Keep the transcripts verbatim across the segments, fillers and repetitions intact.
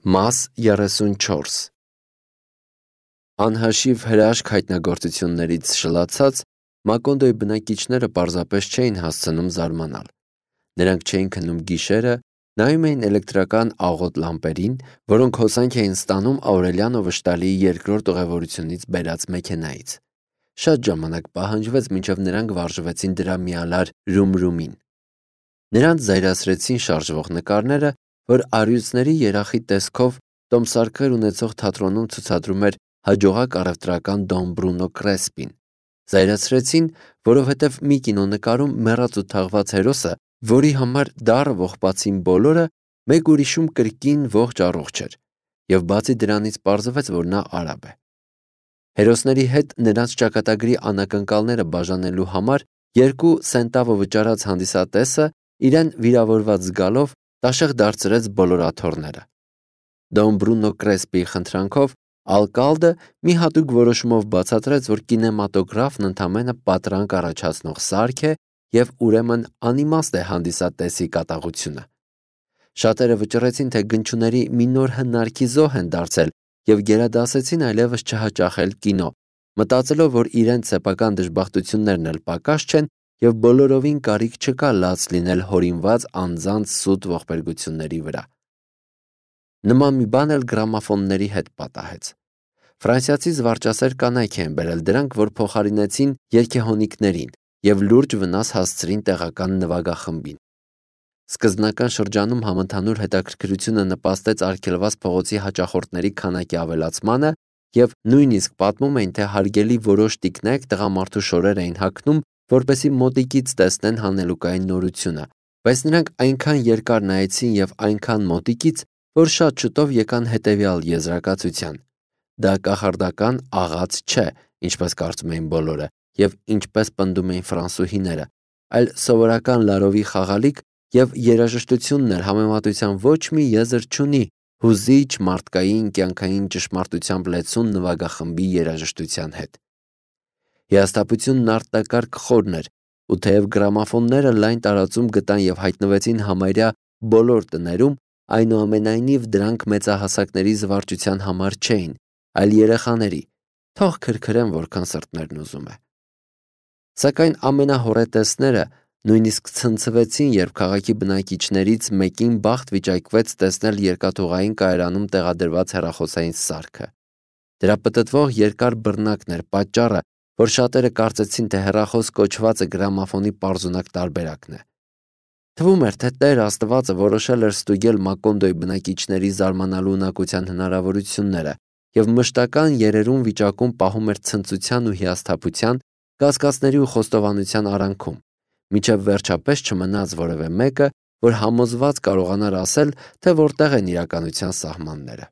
Մաս երեսունչորս Անհաշիվ հրաշք հայտնագործություններից շլացած, Մակոնդոյի բնակիչները պարզապես չէին հասցնում զարմանալ: Նրանք չէին քնում գիշերը, նայում էին էլեկտրական աղոտ լամպերին, որոնք հոսանք էին ստանում Աուրելիանո վշտալիի երկրորդ ուղևորությունից բերած մեքենայից: Շատ ժամանակ պահանջվեց, մինչև նրանք վարժվեցին դրա միալար ռում-ռումին: Նրանց զայրացրեցին շարժվող նկարները, որ առյուծների երախի տեսքով տոմսարկղեր ունեցող թատրոնում ցուցադրում էր հաջողակ առևտրական Դոն Բրունո Կրեսպին: Զայրացրեցին, որովհետև մի կինոնկարում մեռած ու թաղված հերոսը, որի համար դառը ողբացին բոլորը, մեկ ուրիշում կրկին ողջ-առողջ էր, և բացի դրանից պարզվեց, որ նա արաբ է: Հերոսների հետ նրանց ճակատագրի անակնկալները բաժանելու համար երկու սենտավո վճարած հանդիսատեսը, իրեն վիրավորված զգալով, տաշեղ դարձրեց բոլոր աթոռները: Դոն Բրունո Կրեսպիի խնդրանքով ալկալդը մի հատուկ որոշումով բացատրեց, որ կինեմատոգրաֆն ընդամենը պատրանք առաջացնող սարք է և ուրեմն անիմաստ է հանդիսատեսի կատաղությունը: Շատերը վճռեցին, թե գնչուների մի նոր հնարքի զոհ են դարձել և գերադասեցին այլևս չհաճախել կինո, մտածելով, որ իրենց սեփական դժբախտություններն էլ պակաս չեն և բոլորովին կարիք չկա լաց լինել հորինված անձանց սուտ ողբերգությունների վրա: Նման մի բան էլ գրամաֆոնների հետ պատահեց: Ֆրանսիացի զվարճասեր կանայք էին բերել դրանք, որ փոխարինեցին երգեհոնիկներին և լուրջ վնաս հասցրին տեղական նվագախմբին: Սկզբնական շրջանում համընդհանուր հետաքրքրությունը նպաստեց արգելված փողոցի հաճախորդների քանակի ավելացմանը և նույնիսկ պատմում էին, թե հարգելի որոշ տիկնայք տղամարդու շորեր էին հագնում, որպեսզի մոտիկից տեսնեն հանելուկային նորությունը, բայց նրանք այնքան երկար նայեցին և այնքան մոտիկից, որ շատ շուտով եկան հետևյալ եզրակացության. դա կախարդական աղաց չէ, ինչպես կարծում էին բոլորը և ինչպես պնդում էին ֆրանսուհիները, այլ սովորական լարովի խաղալիք և երաժշտությունն էլ համեմատության ոչ մի եզր չունի հուզիչ, մարդկային, կյանքային ճշմարտությամբ լեցուն նվագախմբի երաժշտության հետ: Հիասթափությունն արտակարգ խորն էր ու թեև գրամաֆոնները լայն տարածում գտան և հայտնվեցին համարյա բոլոր տներում, այնուամենայնիվ դրանք մեծահասակների զվարճության համար չէին, այլ երեխաների, թող քրքրեն որքան սրտներն ուզում է: Սակայն ամենահոռետեսները նույնիսկ ցնցվեցին, երբ քաղաքի բնակիչներից մեկին բախտ վիճակվեց տեսնել երկաթուղային կայարանում տեղադրված հեռախոսային սարքը: Դրա պտտվող երկար բռնակն էր պատճառը, որ շատերը կարծեցին, թե հեռախոս կոչվածը գրամաֆոնի պարզունակ տարբերակն է: Թվում էր, թե Տեր Աստվածը որոշել էր ստուգել Մակոնդոյի բնակիչների զարմանալու ունակության հնարավորությունները և մշտական երերուն վիճակում պահում էր ցնծության ու հիասթափության, կասկածների ու խոստովանության արանքում, մինչև վերջապես չմնաց որևէ մեկը, որ համոզված կարողանար ասել, թե որտեղ են իրականության սահմանները: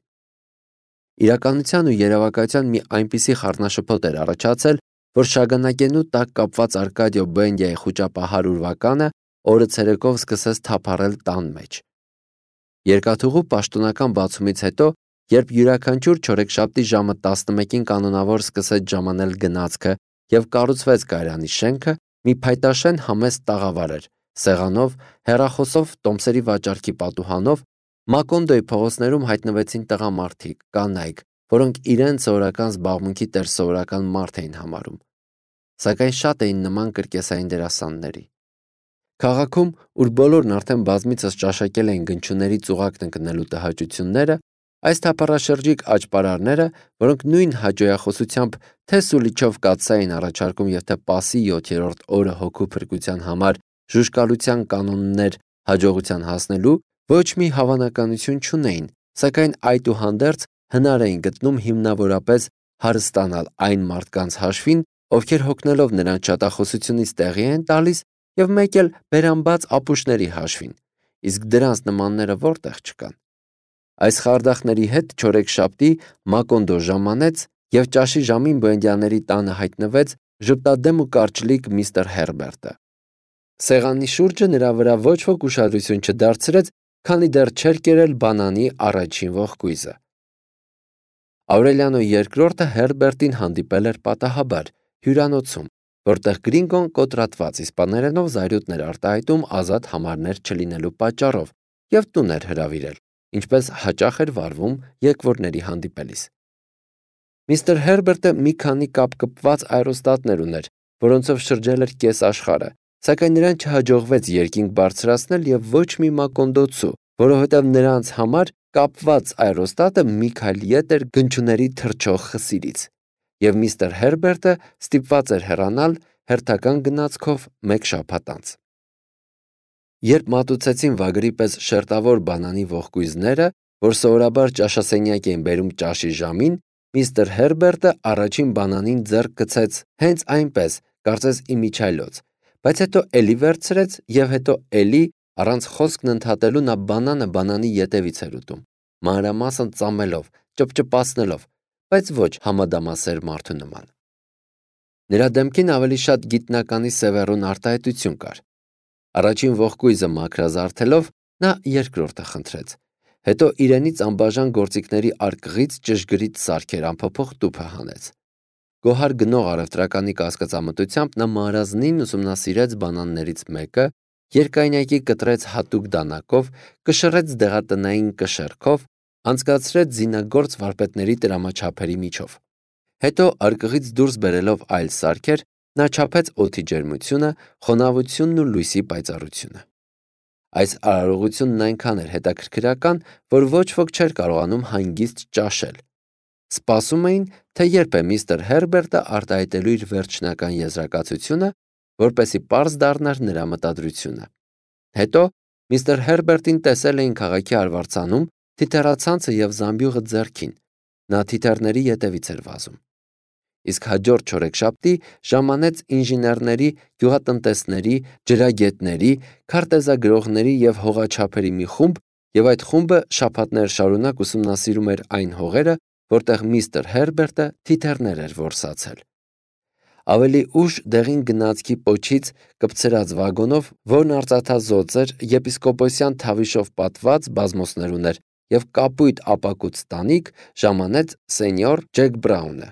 Իրականության ու երևակայության մի այնպիսի խառնաշփոթ էր առաջացել, որ շագանակենու տակ կապված Արկադիո Բենդիայի խուճապահար ուրվականը օրը ցերեկով սկսեց թափառել տան մեջ: Երկաթուղու պաշտոնական բացումից հետո, երբ յուրաքանչյուր չորեքշաբթի ժամը տասնմեկին կանոնավոր սկսեց ժամանել գնացքը և կառուցվեց կայարանի շենքը, մի փայտաշեն համեստ տաղավար էր, սեղանով, հեռախոսով, տոմսերի վաճառքի պատուհանով, Մակոնդոյի փողոցներում հայտնվեցին տղամարդիկ, կանայք, որոնք իրենց սովորական զբաղմունքի տեր սովորական մարդ էին համարում: Սակայն շատ էին նման կրկեսային դերասանների: Քաղաքում, ուր բոլորն արդեն բազմիցս ճաշակել էին գնչուների ծուղակն ընկնելու տհաճությունները, այս թափառաշրջիկ աճպարարները, որոնք նույն հաճոյախոսությամբ թե՛ սուլիչով կաթսա էին առաջարկում և թե Պասի յոթերորդ օրը հոգու փրկության համար ժուժկալության կանոններ հաջողության հասնելու, ոչ մի հավանականություն չունեին, սակայն այդուհանդերձ հնար էին գտնում հիմնավորապես հարստանալ այն մարդկանց հաշվին, ովքեր հոգնելով նրանց շատախոսությունից տեղի են տալիս և մեկ էլ բերամբաց ապուշների հաշվին, իսկ դրանց նմանները որտեղ չկան: Այս խարդախների հետ չորեքշաբթի Մակոնդո ժամանեց և ճաշի ժամին Բուենդիաների տանը հայտնվեց ժպտադեմ ու կարճլիկ միստր Հերբերտը: Սեղանի շուրջը նրա վրա ոչ ոք ուշադրություն չդարձրեց, քանի դեռ չէր կերել բանանի առաջին ողկույզը: Աուրելիանո երկրորդը Հերբերտին հանդիպել էր պատահաբար, հյուրանոցում, որտեղ Գրինգոն կոտրատված իսպաներենով զայրույթներ արտահայտում ազատ համարներ չլինելու պատճառով և տուն էր հրավիրել: ինչպես հաճախ էր վարվում եկվորների հանդիպելիս։ Միստր Հերբերտը մի քանի կապկպված աերոստատներ ուներ, որոնցով շրջել էր կես աշխարհը, սակայն նրան չհաջողվեց երկինք բարձրացնել եւ ոչ մի մակոնդոցու, որովհետեւ նրանց համար կապված աերոստատը մի քայլ ետ էր գնչուների թռչող խսիրից, եւ միստր Հերբերտը ստիպված էր հեռանալ հերթական գնացքով մեկ շաբաթ անց։ Երբ մատուցեցին վագրի պես շերտավոր բանանի ողկույզները, որ սովորաբար ճաշասենյակ էին բերում ճաշի ժամին, միստր Հերբերտը առաջին բանանին ձեռք գցեց հենց այնպես, կարծես իմիջիայլոց, բայց հետո էլի վերցրեց եւ հետո էլի առանց խոսքն ընդհատելու նա բանանը բանանի ետևից էր ուտում, մանրամասն ծամելով, ճպճպացնելով, բայց ոչ համադամասեր մարդու նման։ Նրա դեմքին ավելի շատ գիտնականի սևեռուն արտահայտություն կար։ Առաջին ողկույզը մաքրազարդելով նա երկրորդը խնդրեց, հետո իրենից անբաժան գործիքների արկղից ճշգրիտ սարքեր անփոփոխ տուփը հանեց։ Գոհար գնող առևտրականի կասկածամտությամբ նա մարազնին ուսումնասիրեց բանաններից մեկը, երկայնյակի կտրեց հատուկ դանակով, կշռեց դեղատնային կշեռքով, անցկացրեց զինագործ վարպետների տրամաչափերի միջով։ Հետո արկղից դուրս բերելով այլ սարքեր, նա չափեց օդի ջերմությունը, խոնավությունն ու լույսի պայծառությունը։ Այս արարողությունն այնքան էր հետաքրքրական, որ ոչ ոք չէր կարողանում հանգիստ ճաշել։ Սպասում էին, թե երբ է միստր Հերբերտը արտահայտելու իր վերջնական եզրակացությունը, որպեսզի պարզ դառնար նրա մտադրությունը։ Հետո միստր Հերբերտին տեսել էին քաղաքի արվարձանում, թիթեռացանցը եւ զամբյուղը ձեռքին։ Նա թիթեռների ետևից էր վազում։ Իսկ հաջորդ չորեքշաբթի ժամանեց ինժեներների, գյուղատնտեսների, ջրագետների, քարտեզագրողների եւ հողաչափերի մի խումբ, եւ այդ խումբը շաբաթներ շարունակ ուսումնասիրում էր այն հողերը, որտեղ միստր Հերբերտը թիթեռներ էր որսացել։ Ավելի ուշ դեղին գնացքի պոչից կպցրած վագոնով, որն արծաթազօծ էր, եպիսկոպոսյան թավիշով պատված բազմոսներ ուներ եւ կապույտ ապակուց տանիք, ժամանեց սենյոր Ջեք Բրաունը։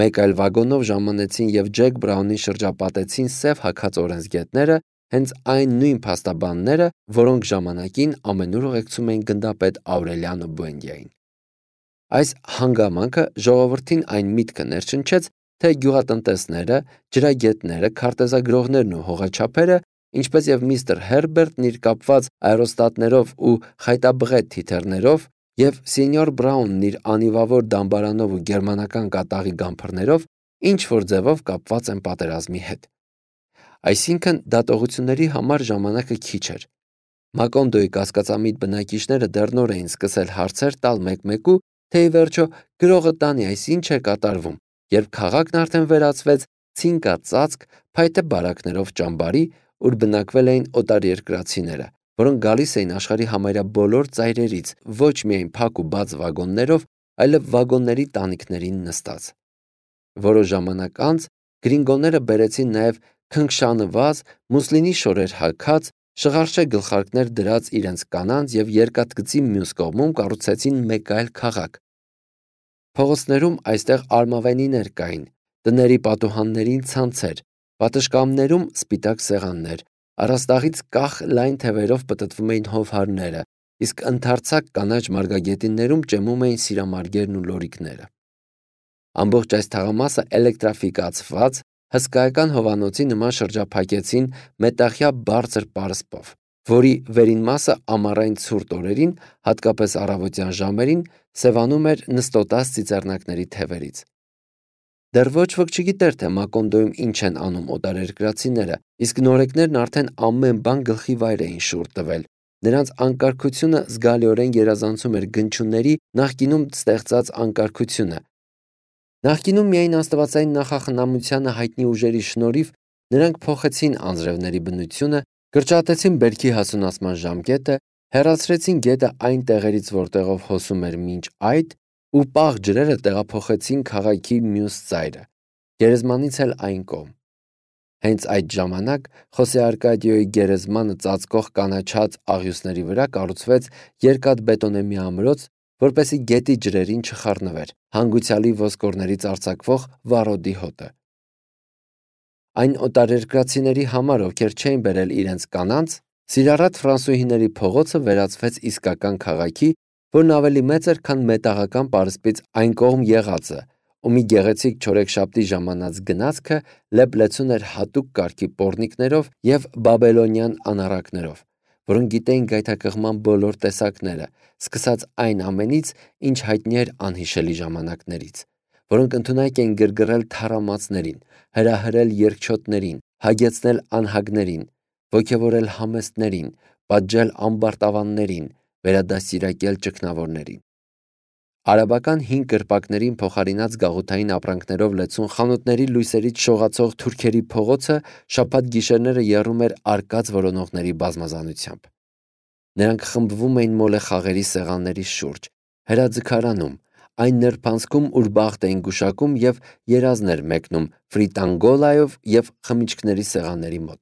Մեկ այլ վագոնով ժամանեցին եւ Ջեք Բրաունին շրջապատեցին սև հագած օրենսգետները, հենց այն նույն փաստաբանները, որոնք ժամանակին ամենուր ուղեկցում էին գնդապետ Աուրելիանո Բուենդիային։ Այս հանգամանքը ժողովրդին այն միտքը ներշնչեց, թե գյուղատնտեսները, ջրագետները, քարտեզագրողներն ու հողաչափերը, ինչպես եւ միստր Հերբերտն իր կապված աերոստատներով ու խայտաբղետ թիթեռներով եւ սենյոր Բրաունն իր անիվավոր դամբարանով ու գերմանական կատաղի գամփրներով ինչ որ ձևով կապված են պատերազմի հետ։ Այսինքն դատողությունների համար ժամանակը քիչ էր։ Մակոնդոյի կասկածամիտ բնակիչները դեռ նոր էին սկսել հարցեր տալ մեկ-մեկու, թե ի վերջո գրողը տանի այս ինչ է կատարվում, երբ քաղաքն արդեն վերածվեց ցինկածածկ փայտե բարակներով ճամբարի, ուր բնակվել էին օտարերկրացիները, որոնք գալիս էին աշխարհի համարյա բոլոր ծայրերից, ոչ միայն փակ ու բաց վագոններով, այլև վագոնների տանիքներին նստած։ Որոշ ժամանակ անց գրինգոները բերեցին նաև քնքշանված, մուսլինի շորեր հագած, շղարշե գլխարկներ դրած իրենց կանանց եւ երկաթգծի մյուս կողմում կառուցեցին մեկ այլ քաղաք։ Փողոցներում այստեղ արմավենիներ կային, տների պատուհաններին ցանցեր, պատշգամբներում սպիտակ սեղաններ, առաստաղից կախ լայն թևերով պտտվում էին հովհարները, իսկ ընդարձակ կանաչ մարգագետիններում ճեմում էին սիրամարգերն ու լորիկները։ Ամբողջ այս թաղամասը էլեկտրաֆիկացված, հսկայական հովանոցի նման շրջափակեցին մետաղյա բարձր պարսպով, որի վերին մասը ամառային ցուրտ օրերին, հատկապես առավոտյան ժամերին, սևանում էր նստոտած ծիծեռնակների թևերից։ Դեռ ոչ ոք չգիտեր, թե Մակոնդոյում ինչ են անում օտարերկրացիները, իսկ նորեկներն արդեն ամեն բան գլխի վայր էին շուռ տվել։ Նրանց անկարգությունը զգալիորեն գերազանցում էր գնչուների նախկինում ստեղծած անկարգությունը։ Նախկինում միայն աստվածային նախախնամությանը հայտնի ուժերի շնորհիվ նրանք փոխեցին անձրևների բնությունը, կրճատեցին բերքի հասունացման ժամկետը, հեռացրեցին գետը այն տեղերից, որտեղով հոսում էր մինչ այդ, ու պաղ ջրերը տեղափոխեցին քաղաքի մյուս ծայրը, գերեզմանից էլ այն կողմ։ Հենց այդ ժամանակ Խոսե Արկադիոյի գերեզմանը ծածկող կանաչած աղյուսների վրա կառուցվեց երկաթբետոնե մի ամրոց, որպեսզի գետի ջրերին չխառնվեր հանգուցյալի ոսկորներից արձակվող վառոդի հոտը։ Այն օտարերկրացիների համար, ովքեր չէին բերել իրենց կանանց, Սիրառատ ֆրանսուհիների փողոցը վերածվեց իսկական քաղաքի, որն ավելի մեծ էր, քան մետաղական պարսպից այն կողմ եղածը, ու մի գեղեցիկ չորեքշաբթի ժամանած գնացքը լեփ-լեցուն էր հատուկ կարգի պոռնիկներով և բաբելոնյան անառակներով, որոնք գիտեին գայթակղման բոլոր տեսակները, սկսած այն ամենից, ինչ հայտնի էր անհիշելի ժամանակներից, որոնք ընդունակ էին գրգռել թառամածներին, հրահրել երկչոտներին, հագեցնել անհագներին, ոգևորել համեստներին, պատժել ամբարտավաններին, վերադաստիարակել ճգնավորներին։ Արաբական հին կրպակներին փոխարինած գաղութային ապրանքներով լեցուն խանութների լույսերից շողացող թուրքերի փողոցը շաբաթ գիշերները եռում էր արկած որոնողների բազմազանությամբ։ Նրանք խմբվում էին մոլե խաղերի սեղանների շուրջ, հրաձգարանում, այն նրբանցքում, ուր բախտ էին գուշակում և երազներ մեկնում ֆրիտանգոլայով և խմիչքների սեղանների մոտ։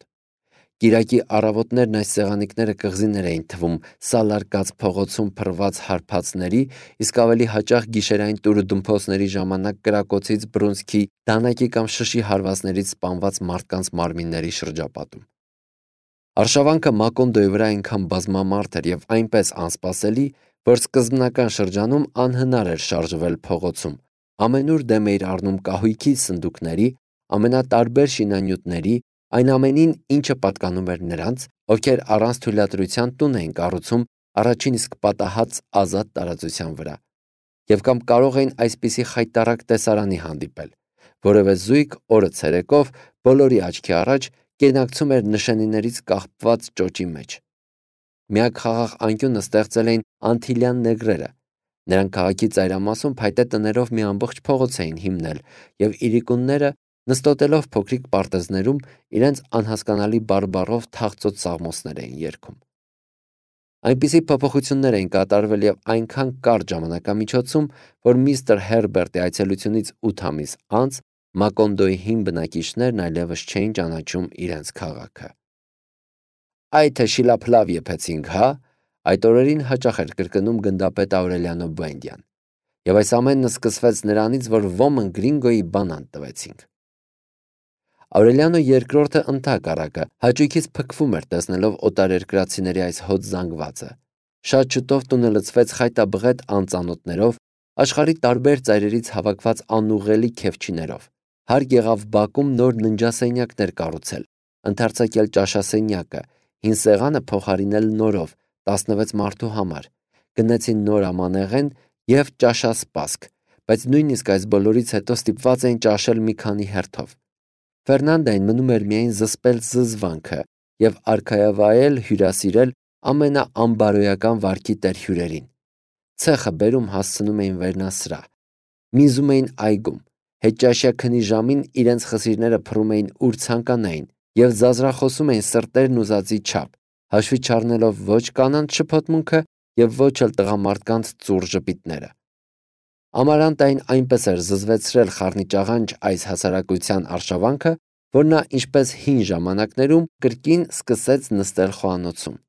Կիրակի առավոտներն այս սեղանիկները կղզիներ էին թվում սալարկած փողոցում փռված հարբածների, իսկ ավելի հաճախ գիշերային տուրուդումփոսների ժամանակ կրակոցից, բռունցքի, դանակի կամ շշի հարվածներից սպանված մարդկանց մարմինների շրջապատում։ Արշավանքը Մակոնդոյի վրա այնքան բազմամարդ էր և այնպես անսպասելի, որ սկզբնական շրջանում անհնար էր շարժվել փողոցում, ամենուր դեմ էիր առնում կահույքի սնդուկների, ամենատարբեր շինանյութերի, այն ամենին, ինչը պատկանում էր նրանց, ովքեր առանց թույլատրության տուն էին կառուցում առաջին իսկ պատահած ազատ տարածության վրա, և կամ կարող էին այսպիսի խայտառակ տեսարանի հանդիպել, որևէ զույգ օրը ցերեկով բոլորի աչքի առաջ կենակցում էր նշանիներից կախված ճոճի մեջ։ Միակ խաղաղ անկյունը ստեղծել էին անթիլյան նեգրերը։ Նրանք քաղաքի ծայրամասում փայտե տներով մի ամբողջ փողոց էին հիմնել, և իրիկունները, նստոտելով փոքրիկ պարտեզներում, իրենց անհասկանալի բարբառով թախծոտ սաղմոսներ էին երգում։ Այնպիսի փոփոխություններ էին կատարվել և այնքան կարճ ժամանակամիջոցում, որ միստր Հերբերտի այցելությունից ութ ամիս անց Մակոնդոյի հին բնակիչներն այլևս չէին ճանաչում իրենց քաղաքը։ «Այ թե շիլափլավ եփեցինք, հա», այդ օրերին հաճախ էր կրկնում գնդապետ Աուրելիանո Բուենդիան, և այս ամենը սկսվեց նրանից, որ ոմն գրինգոյի բանան տվեցինք։ Աուրելիանո երկրորդը ընդհակառակը հաճույքից փքվում էր տեսնելով օտարերկրացիների այս հոտ զանգվածը։ Շատ շուտով տունը լցվեց խայտաբղետ անծանոթներով, աշխարհի տարբեր ծայրերից հավաքված անուղղելի քեֆչիներով։ Հարկ եղավ բակում նոր ննջասենյակներ կառուցել, ընդարձակել ճաշասենյակը, հին սեղանը փոխարինել նորով, տասնվեց մարդու համար, գնեցին նոր ամանեղեն և ճաշասպասք, բայց նույնիսկ այս բոլորից հետո ստիպված էին ճաշել մի քանի հերթով։ Ֆերնանդային մնում էր միայն զսպել զզվանքը և արքայավայել, հյուրասիրել ամենաանբարոյական վարքի տեր հյուրերին։ Ցեխը բերում հասցնում էին վերնասրահ, միզում էին այգում, հետճաշյա քնի ժամին իրենց խսիրները փռում էին ուր ցանկանային և ձազրախոսում էին սրտերն ուզածի չափ, հաշվի չառնելով ոչ կանանց շփոթմունքը և ոչ էլ տղամարդկանց ծուռ ժպիտները։ Ամարանտային այնպես էր զզվեցրել խառնիճաղանճ այս հասարակության արշավանքը, որ նա, ինչպես հին ժամանակներում, կրկին սկսեց նստել խոհանոցում։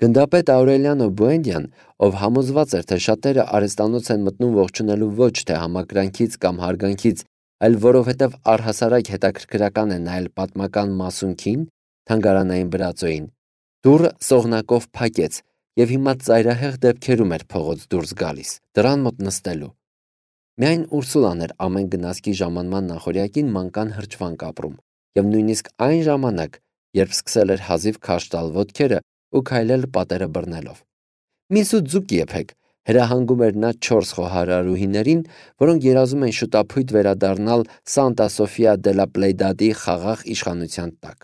Գնդապետ Աուրելիանո Բուենդիան, ով համոզված էր, թե շատերը արհեստանոց են մտնում ողջունելու ոչ թե համակրանքից կամ հարգանքից, այլ որովհետև առհասարակ հետաքրքրական է նայել պատմական մասունքին, թանգարանային բրածոյին, դուռը սողնակով փակեց և հիմա ծայրահեղ դեպքերում էր փողոց դուրս գալիս, դռան մոտ նստելու։ Միայն Ուրսուլան էր ամեն գնացքի ժամանման նախօրյակին մանկան հրճվանք ապրում, և նույնիսկ այն ժամանակ, երբ սկսել էր հազիվ քարշ տալ ոտքերը ու քայլել պատերը բռնելով։ «Մի սուտ ձուկ եփեք», հրահանգում էր նա չորս խոհարարուհիներին, որոնք երազում էին շուտափույթ վերադառնալ Սանտա Սոֆիա դե լա Պլեյադադի խաղաղ իշխանության տակ։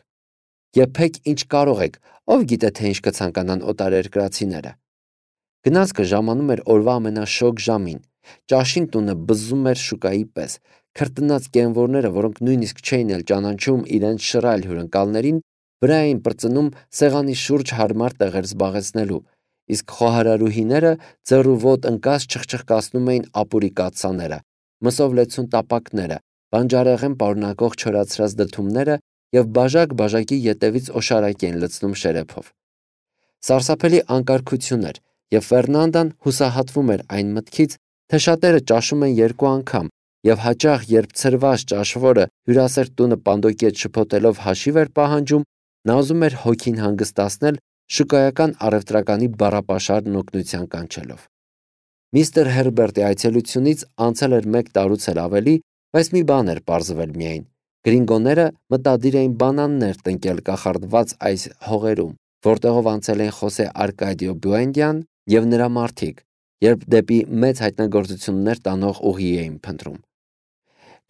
«Եփեք ինչ կարող եք, ով գիտե թե ինչ կցանկանան օտարերկրացիները»։ Գնացքը ժամանում էր օրվա ամենաշոգ ժամին, ճաշին տունը բզզում էր շուկայի պես, քրտնած կենվորները, որոնք նույնիսկ չէին էլ ճանաչում իրենց շռայլ հյուրընկալներին, վրա էին պրծնում սեղանի շուրջ հարմար տեղեր զբաղեցնելու, իսկ խոհարարուհիները ձեռուոտ ընկած չխչխկացնում էին ապուրի կաթսաները, մսով լեցուն տապակները, բանջարեղեն պարունակող չորացրած դդումները և բաժակ-բաժակի ետևից օշարակ էին լցնում շերեփով։ Սարսափելի անկարգություն էր, և Ֆերնանդան հուսահատվում էր այն մտքից, թե շատերը ճաշում են երկու անգամ, և հաճախ, երբ ցրված ճաշվորը հյուրասեր տունը պանդոկի հետ շփոթելով հաշիվ էր պահանջում, Նա ուզում էր հոգին հանգստացնել շուկայական առևտրականի բառապաշարն օգնության կանչելով։ Միստր Հերբերտի այցելությունից անցել էր մեկ տարուց էլ ավելի, բայց մի բան էր պարզվել միայն. գրինգոները մտադիր էին բանաններ տնկել կախարդված այս հողերում, որտեղով անցել էին Խոսե Արկադիո Բուենդյան և նրա մարդիկ, երբ դեպի մեծ հայտնագործություններ տանող ուղի էին փնտրում։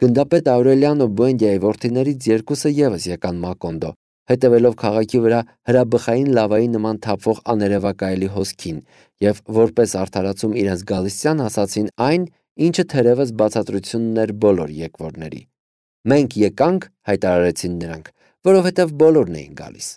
Գնդապետ Աուրելիանո Բուենդիայի որդիներից երկուսը ևս եկան Մակոնդո, հետևելով քաղաքի վրա հրաբխային լավայի նման թափվող աներևակայելի հոսքին և որպես արդարացում իրենց գալստյան ասացին այն, ինչը թերևս բացատրությունն էր բոլոր եկվորների։ «Մենք եկանք», հայտարարեցին նրանք, «որովհետև բոլորն էին գալիս»։